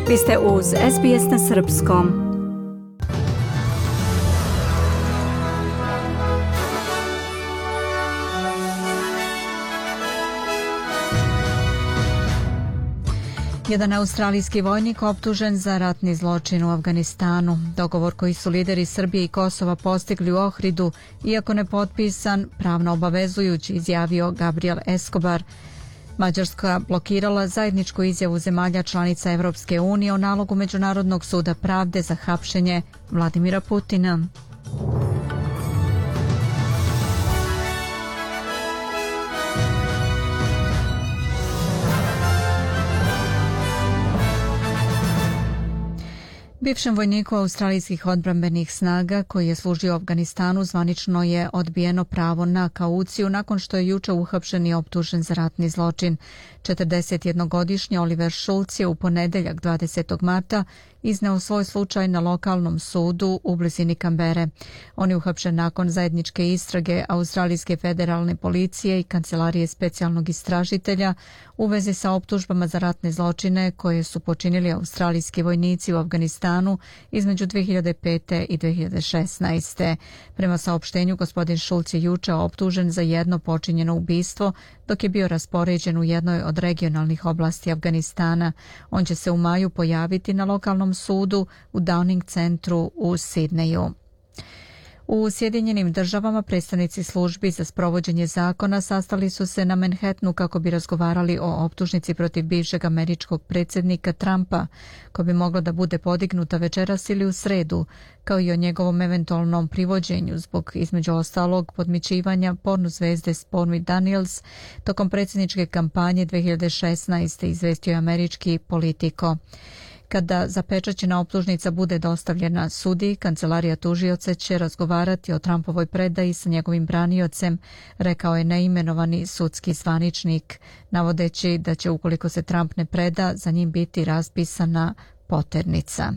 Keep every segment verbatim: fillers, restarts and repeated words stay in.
Vi ste uz S B S na srpskom. Jedan australijski vojnik optužen za ratni zločin u Afganistanu. Dogovor koji su lideri Srbije i Kosova postigli u Ohridu, iako ne potpisan, pravno obavezujući, izjavio Gabriel Escobar. Mađarska blokirala zajedničku izjavu zemalja članica Evropske unije o nalogu Međunarodnog suda pravde za hapšenje Vladimira Putina. Bivšem vojniku australijskih odbrambenih snaga koji je služio u Afganistanu zvanično je odbijeno pravo na kauciju nakon što je juče uhapšen i optužen za ratni zločin. četrdesetjednogodišnji Oliver Schulz je u ponedeljak dvadesetog marta izneo svoj slučaj na lokalnom sudu u blizini Kambere. On je uhapšen nakon zajedničke istrage Australijske federalne policije i Kancelarije specijalnog istražitelja u vezi sa optužbama za ratne zločine koje su počinili australijski vojnici u Afganistanu između dve hiljade pete i dve hiljade šesnaeste. Prema saopštenju, gospodin Schulz je juče optužen za jedno počinjeno ubistvo dok je bio raspoređen u jednoj od regionalnih oblasti Afganistana. On će se u maju pojaviti na lokalnom sudu u Downing centru u Sidneju. U Sjedinjenim državama predstavnici službi za sprovođenje zakona sastali su se na Manhattanu kako bi razgovarali o optužnici protiv bivšeg američkog predsjednika Trumpa, koja bi mogla da bude podignuta večeras ili u sredu, kao i o njegovom eventualnom privođenju zbog, između ostalog, podmićivanja porno zvezde Stormy Daniels tokom predsjedničke kampanje dve hiljade šesnaeste. izvestio je američki Politico. Kada zapečaćena optužnica bude dostavljena sudi, kancelarija tužioca će razgovarati o Trumpovoj predaji sa njegovim braniocem, rekao je neimenovani sudski zvaničnik, navodeći da će, ukoliko se Trump ne preda, za njim biti raspisana poternica.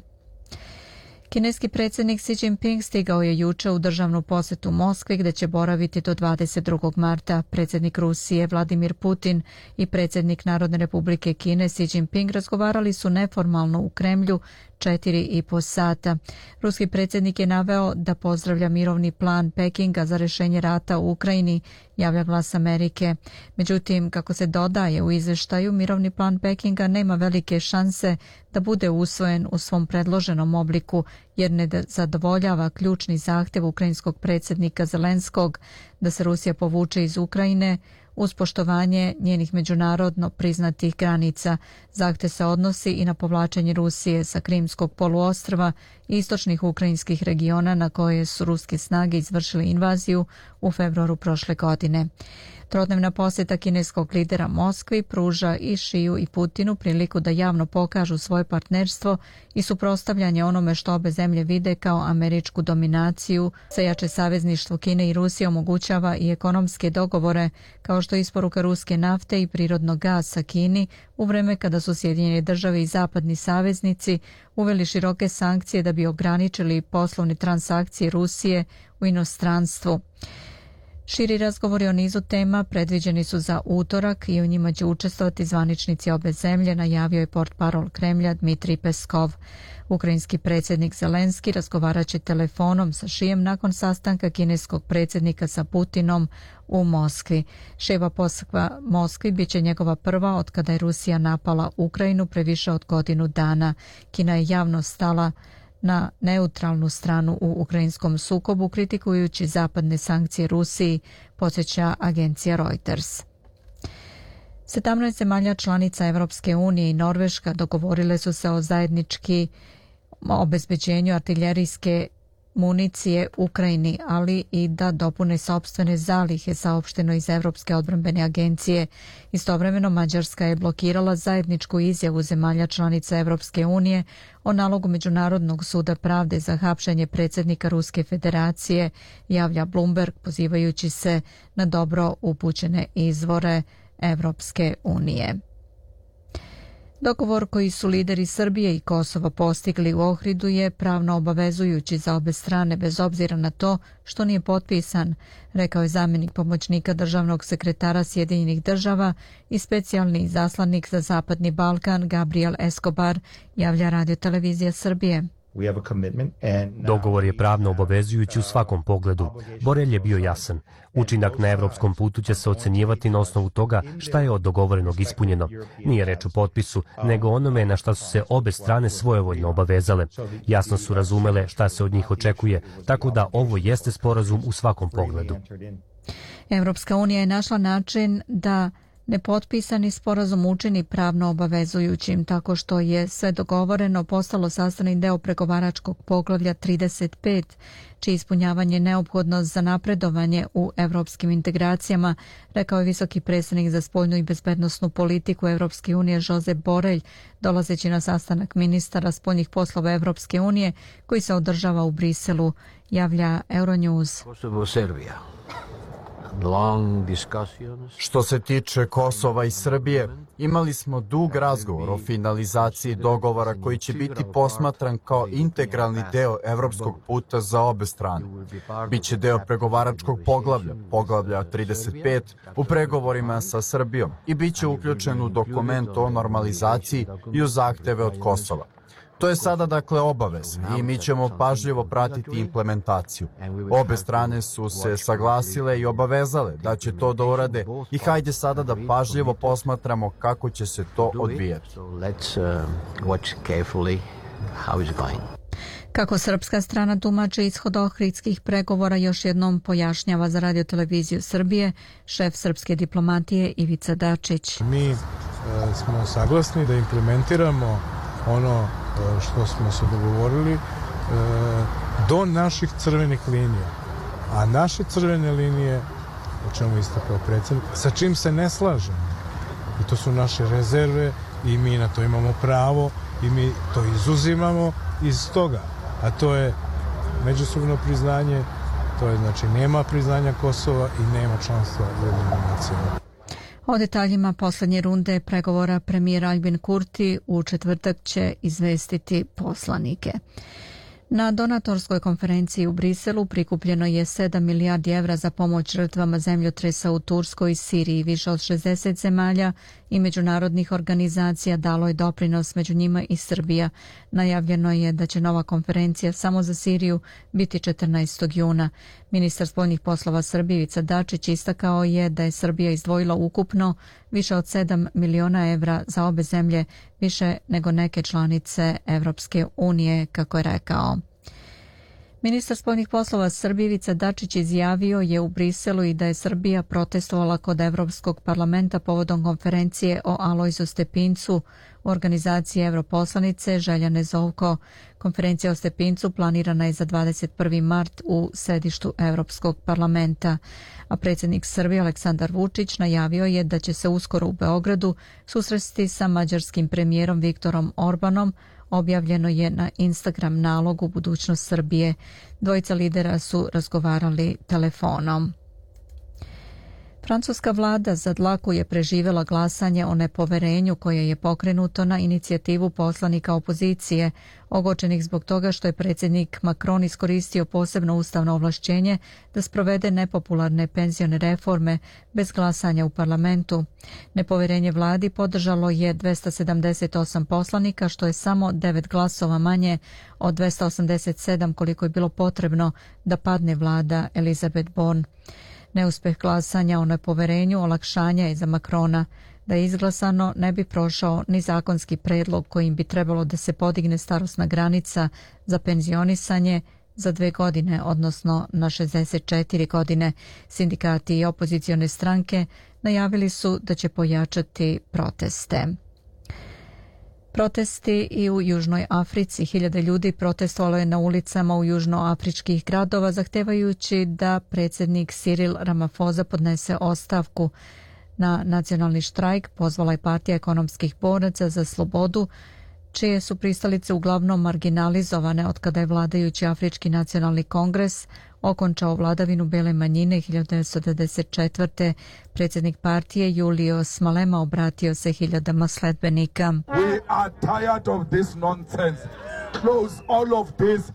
Kineski predsjednik Xi Jinping stigao je juče u državnu posjetu Moskvi gdje će boraviti do dvadeset drugog marta. Predsjednik Rusije Vladimir Putin i predsjednik Narodne republike Kine Xi Jinping razgovarali su neformalno u Kremlju četiri i po sata. Ruski predsjednik je naveo da pozdravlja mirovni plan Pekinga za rješenje rata u Ukrajini, javlja Glas Amerike. Međutim, kako se dodaje u izveštaju, mirovni plan Pekinga nema velike šanse da bude usvojen u svom predloženom obliku, jer ne zadovoljava ključni zahtjev ukrajinskog predsjednika Zelenskog da se Rusija povuče iz Ukrajine uz poštovanje njenih međunarodno priznatih granica. Zahtjev se odnosi i na povlačenje Rusije sa Krimskog poluostrva i istočnih ukrajinskih regiona na koje su ruske snage izvršile invaziju u februaru prošle godine. Trodnevna posjeta kineskog lidera Moskvi pruža i Šiju i Putinu priliku da javno pokažu svoje partnerstvo i suprotstavljanje onome što obe zemlje vide kao američku dominaciju. Sve jače savezništvo Kine i Rusije omogućava i ekonomske dogovore, kao što je isporuka ruske nafte i prirodnog gasa Kini, u vreme kada su Sjedinjene države i zapadni saveznici uveli široke sankcije da bi ograničili poslovne transakcije Rusije u inostranstvu. Širi razgovori o nizu tema predviđeni su za utorak i u njima će učestvovati zvaničnici obe zemlje, najavio je portparol Kremlja Dmitrij Peskov. Ukrajinski predsjednik Zelenski razgovarat će telefonom sa Šijem nakon sastanka kineskog predsjednika sa Putinom u Moskvi. Ševa posjeta Moskvi bit će njegova prva od kada je Rusija napala Ukrajinu pre više od godinu dana. Kina je javno stala na neutralnu stranu u ukrajinskom sukobu, kritikujući zapadne sankcije Rusiji, podsjeća agencija Reuters. sedamnaest zemalja članica Evropske unije i Norveška dogovorile su se o zajednički obezbeđenju artiljerijske municije Ukrajini, ali i da dopune sopstvene zalihe, saopšteno iz Evropske odbrambene agencije. Istovremeno Mađarska je blokirala zajedničku izjavu zemalja članica Evropske unije o nalogu Međunarodnog suda pravde za hapšenje predsjednika Ruske federacije, javlja Bloomberg, pozivajući se na dobro upućene izvore Evropske unije. Dogovor koji su lideri Srbije i Kosova postigli u Ohridu je pravno obavezujući za obe strane bez obzira na to što nije potpisan, rekao je zamjenik pomoćnika državnog sekretara Sjedinjenih država i specijalni izaslanik za Zapadni Balkan Gabriel Escobar, javlja Radio Televizija Srbije. Dogovor je pravno obavezujući u svakom pogledu. Borelj je bio jasan. Učinak na evropskom putu će se ocenjivati na osnovu toga šta je od dogovorenog ispunjeno. Nije reč o potpisu, nego onome na šta su se obe strane svojevoljno obavezale. Jasno su razumele šta se od njih očekuje, tako da ovo jeste sporazum u svakom pogledu. Evropska unija je našla način da nepotpisani sporazum učini pravno obavezujućim tako što je sve dogovoreno postalo sastavni deo pregovaračkog poglavlja trideset pet, čije ispunjavanje neophodno za napredovanje u evropskim integracijama, rekao je visoki predstavnik za spoljnu i bezbednosnu politiku Evropske unije Josep Borelj, dolazeći na sastanak ministara spoljnih poslova Evropske unije koji se održava u Briselu, javlja Euronews. Kosovo, Serbija. Što se tiče Kosova i Srbije, imali smo dug razgovor o finalizaciji dogovora koji će biti posmatran kao integralni deo evropskog puta za obe strane. Biće deo pregovaračkog poglavlja, poglavlja trideset pet, u pregovorima sa Srbijom i biće uključen u dokument o normalizaciji i u zahteve od Kosova. To je sada dakle obavez i mi ćemo pažljivo pratiti implementaciju. Obe strane su se saglasile i obavezale da će to da urade i hajde sada da pažljivo posmatramo kako će se to odvijati. Kako srpska strana tumači ishod ohridskih pregovora, još jednom pojašnjava za Radio Televiziju Srbije šef srpske diplomatije Ivica Dačić. Mi e, smo saglasni da implementiramo ono što smo se dogovorili e, do naših crvenih linija. A naše crvene linije, o čemu istakao predsjednik, sa čim se ne slažemo. I to su naše rezerve i mi na to imamo pravo i mi to izuzimamo iz toga. A to je međusobno priznanje, to je znači nema priznanja Kosova i nema članstva u Ujedinjenim nacijama. O detaljima posljednje runde pregovora premijer Albin Kurti u četvrtak će izvestiti poslanike. Na donatorskoj konferenciji u Briselu prikupljeno je sedam milijardi evra za pomoć žrtvama zemljotresa u Turskoj i Siriji. Više od šezdeset zemalja i međunarodnih organizacija dalo je doprinos, među njima i Srbija. Najavljeno je da će nova konferencija samo za Siriju biti četrnaestog juna. Ministar spoljnih poslova Srbije Ivica Dačić istakao je da je Srbija izdvojila ukupno više od sedam miliona evra za obe zemlje, više nego neke članice Evropske unije, kako je rekao. Ministar spoljnih poslova Srbije Ivica Dačić izjavio je u Briselu i da je Srbija protestovala kod Evropskog parlamenta povodom konferencije o Alojzu Stepincu u organizaciji Evroposlanice Željane Zovko. Konferencija o Stepincu planirana je za dvadeset prvi mart u sedištu Evropskog parlamenta, a predsjednik Srbije Aleksandar Vučić najavio je da će se uskoro u Beogradu susresti sa mađarskim premijerom Viktorom Orbanom. Objavljeno je na Instagram nalogu Budućnost Srbije. Dvojica lidera su razgovarali telefonom. Francuska vlada za dlaku je preživjela glasanje o nepoverenju koje je pokrenuto na inicijativu poslanika opozicije, ogorčenih zbog toga što je predsjednik Macron iskoristio posebno ustavno ovlašćenje da sprovede nepopularne penzione reforme bez glasanja u parlamentu. Nepoverenje vladi podržalo je dvesta sedamdeset osam poslanika, što je samo devet glasova manje od dvesta osamdeset sedam koliko je bilo potrebno da padne vlada Elizabeth Borne. Neuspeh glasanja o nepoverenju olakšanja je za Macrona. Da je izglasano, ne bi prošao ni zakonski predlog kojim bi trebalo da se podigne starosna granica za penzionisanje za dve godine, odnosno na šezdeset četiri godine. Sindikati i opozicione stranke najavili su da će pojačati proteste. Protesti i u Južnoj Africi. Hiljade ljudi protestovalo je na ulicama u južnoafričkih gradova zahtevajući da predsjednik Cyril Ramaphosa podnese ostavku. Na nacionalni štrajk pozvala je partija ekonomskih boraca za slobodu, čije su pristalice uglavnom marginalizovane od kada je vladajući Afrički nacionalni kongres okončao vladavinu bele manjine hiljadu devetsto devedeset četvrte. Predsjednik partije Julius Malema obratio se hiljadama sledbenika. We are tired of this nonsense. Close all of this.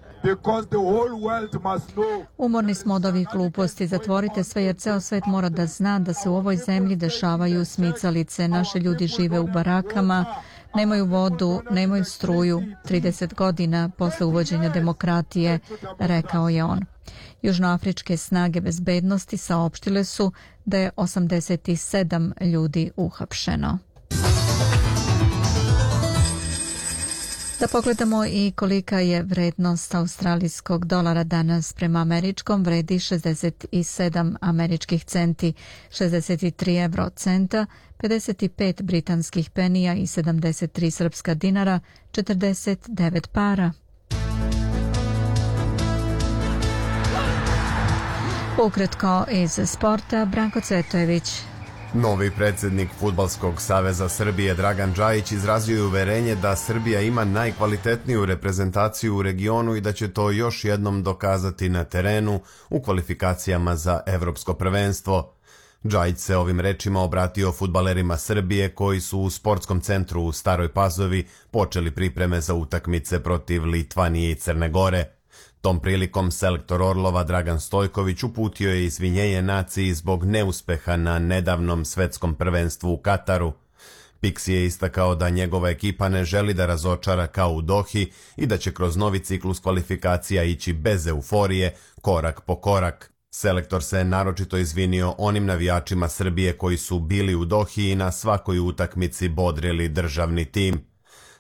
Umorni smo od ovih gluposti, zatvorite sve jer ceo svet mora da zna da se u ovoj zemlji dešavaju smicalice. Naši ljudi žive u barakama, nemaju vodu, nemaju struju. trideset godina posle uvođenja demokratije, rekao je on. Južnoafričke snage bezbednosti saopštile su da je osamdeset sedam ljudi uhapšeno. Da pogledamo i kolika je vrednost australijskog dolara danas prema američkom, vredi šezdeset sedam američkih centi, šezdeset tri evro centa, pedeset pet britanskih penija i sedamdeset tri srpska dinara, četrdeset devet para. Ukratko iz sporta, Branko Cvetojević. Novi predsjednik Fudbalskog saveza Srbije Dragan Džajić izrazio je uverenje da Srbija ima najkvalitetniju reprezentaciju u regionu i da će to još jednom dokazati na terenu u kvalifikacijama za evropsko prvenstvo. Džajić se ovim rečima obratio fudbalerima Srbije koji su u sportskom centru u Staroj Pazovi počeli pripreme za utakmice protiv Litvanije i Crne Gore. Tom prilikom selektor Orlova Dragan Stojković uputio je izvinjenje naciji zbog neuspeha na nedavnom svetskom prvenstvu u Kataru. Pixi je istakao da njegova ekipa ne želi da razočara kao u Dohi i da će kroz novi ciklus kvalifikacija ići bez euforije, korak po korak. Selektor se naročito izvinio onim navijačima Srbije koji su bili u Dohi i na svakoj utakmici bodrili državni tim.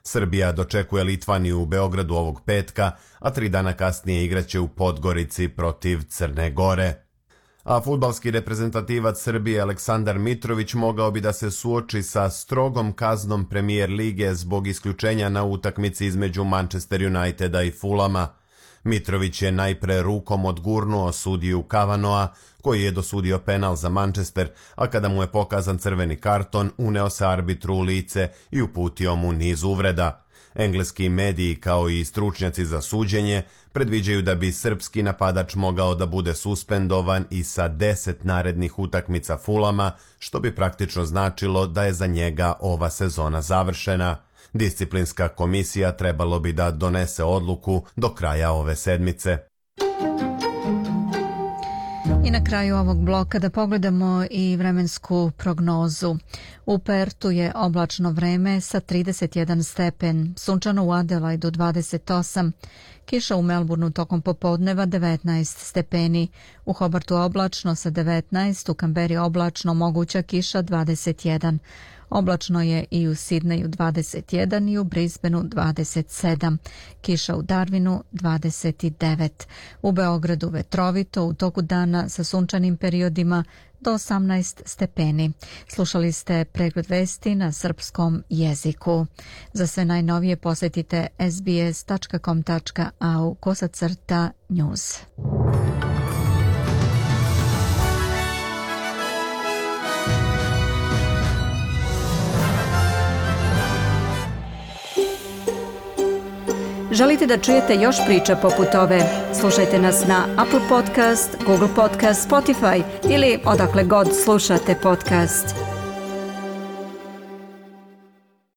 Srbija dočekuje Litvaniju u Beogradu ovog petka, a tri dana kasnije igraće u Podgorici protiv Crne Gore. A fudbalski reprezentativac Srbije Aleksandar Mitrović mogao bi da se suoči sa strogom kaznom Premier lige zbog isključenja na utakmici između Manchester Uniteda i Fulama. Mitrović je najpre rukom odgurnuo sudiju Kavanoa, koji je dosudio penal za Manchester, a kada mu je pokazan crveni karton, uneo se arbitru u lice i uputio mu niz uvreda. Engleski mediji, kao i stručnjaci za suđenje, predviđaju da bi srpski napadač mogao da bude suspendovan i sa deset narednih utakmica Fulama, što bi praktično značilo da je za njega ova sezona završena. Disciplinska komisija trebalo bi da donese odluku do kraja ove sedmice. I na kraju ovog bloka da pogledamo i vremensku prognozu. U Pertu je oblačno vreme sa trideset jedan stepen, sunčano u Adelaidu dvadeset osam, kiša u Melbourneu tokom popodneva devetnaest stepeni, u Hobartu oblačno sa devetnaest, u Kamberi oblačno, moguća kiša dvadeset jedan. Oblačno je i u Sidneju dvadeset jedan i u Brisbaneu dvadeset sedam. Kiša u Darwinu dvadeset devet. U Beogradu vetrovito, u toku dana sa sunčanim periodima do osamnaest stepeni. Slušali ste pregled vesti na srpskom jeziku. Za sve najnovije posjetite es be es tačka com tačka a u kosacrta news. Želite da čujete još priča poput ove? Slušajte nas na Apple Podcast, Google Podcast, Spotify ili odakle god slušate podcast.